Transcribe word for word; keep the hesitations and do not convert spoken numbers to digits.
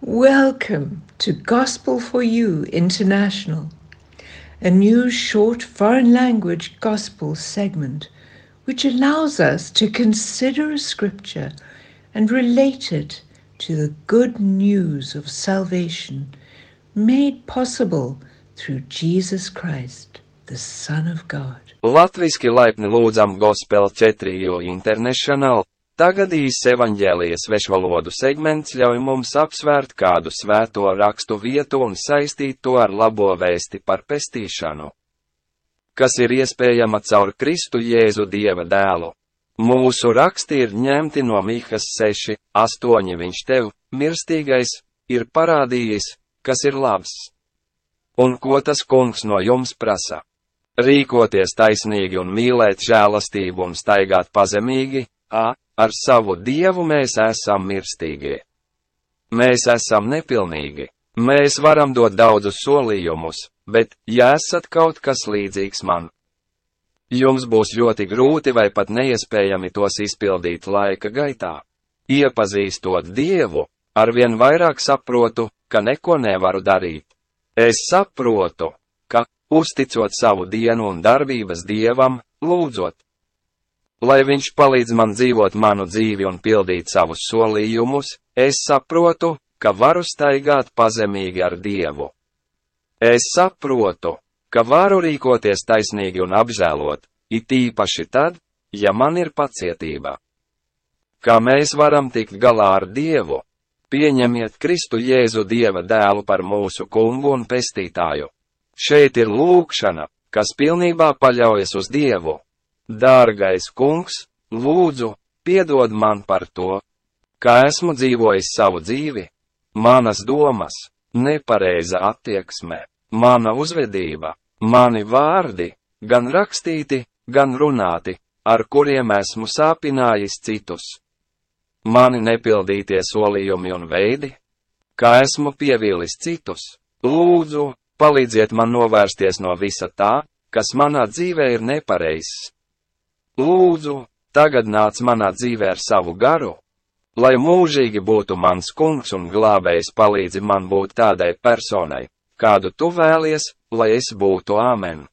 Welcome to Gospel for You International, a new short foreign language gospel segment which allows us to consider a scripture and relate it to the good news of salvation made possible through Jesus Christ, the Son of God. Latviski laipni lūdzam Gospel četri U International. Tagad īs evaņģēlija svešvalodu segments ļauj mums apsvērt kādu svēto rakstu vietu un saistīt to ar labo vēsti par pestīšanu, kas ir iespējama caur Kristu Jēzu Dieva dēlu. Mūsu raksti ir ņemti no Mihas seši, astoņi. Viņš tev, mirstīgais, ir parādījis, kas ir labs. Un ko tas kungs no jums prasa? Rīkoties taisnīgi un mīlēt žēlastību un staigāt pazemīgi, a, ar savu Dievu mēs esam mirstīgie. Mēs esam nepilnīgi. Mēs varam dot daudzus solījumus, bet, ja esat kaut kas līdzīgs man, jums būs ļoti grūti vai pat neiespējami tos izpildīt laika gaitā. Iepazīstot Dievu, arvien vairāk saprotu, ka neko nevaru darīt. Es saprotu, ka, uzticot savu dienu un darbības Dievam, lūdzot, lai viņš palīdz man dzīvot manu dzīvi un pildīt savus solījumus, es saprotu, ka varu staigāt pazemīgi ar Dievu. Es saprotu, ka varu rīkoties taisnīgi un apžēlot, it īpaši tad, ja man ir pacietība. Kā mēs varam tikt galā ar Dievu? Pieņemiet Kristu Jēzu Dieva dēlu par mūsu kungu un pestītāju. Šeit ir lūgšana, kas pilnībā paļaujas uz Dievu. Dārgais kungs, lūdzu, piedod man par to, kā esmu dzīvojis savu dzīvi, manas domas, nepareiza attieksme, mana uzvedība, mani vārdi, gan rakstīti, gan runāti, ar kuriem esmu sāpinājis citus. Mani nepildītie solījumi un veidi, kā esmu pievīlis citus. Lūdzu, palīdziet man novērsties no visa tā, kas manā dzīvē ir nepareizs. Lūdzu, tagad nāc manā dzīvē ar savu garu, lai mūžīgi būtu mans kungs un glābējs palīdzi man būt tādai personai, kādu tu vēlies, lai es būtu. Āmen.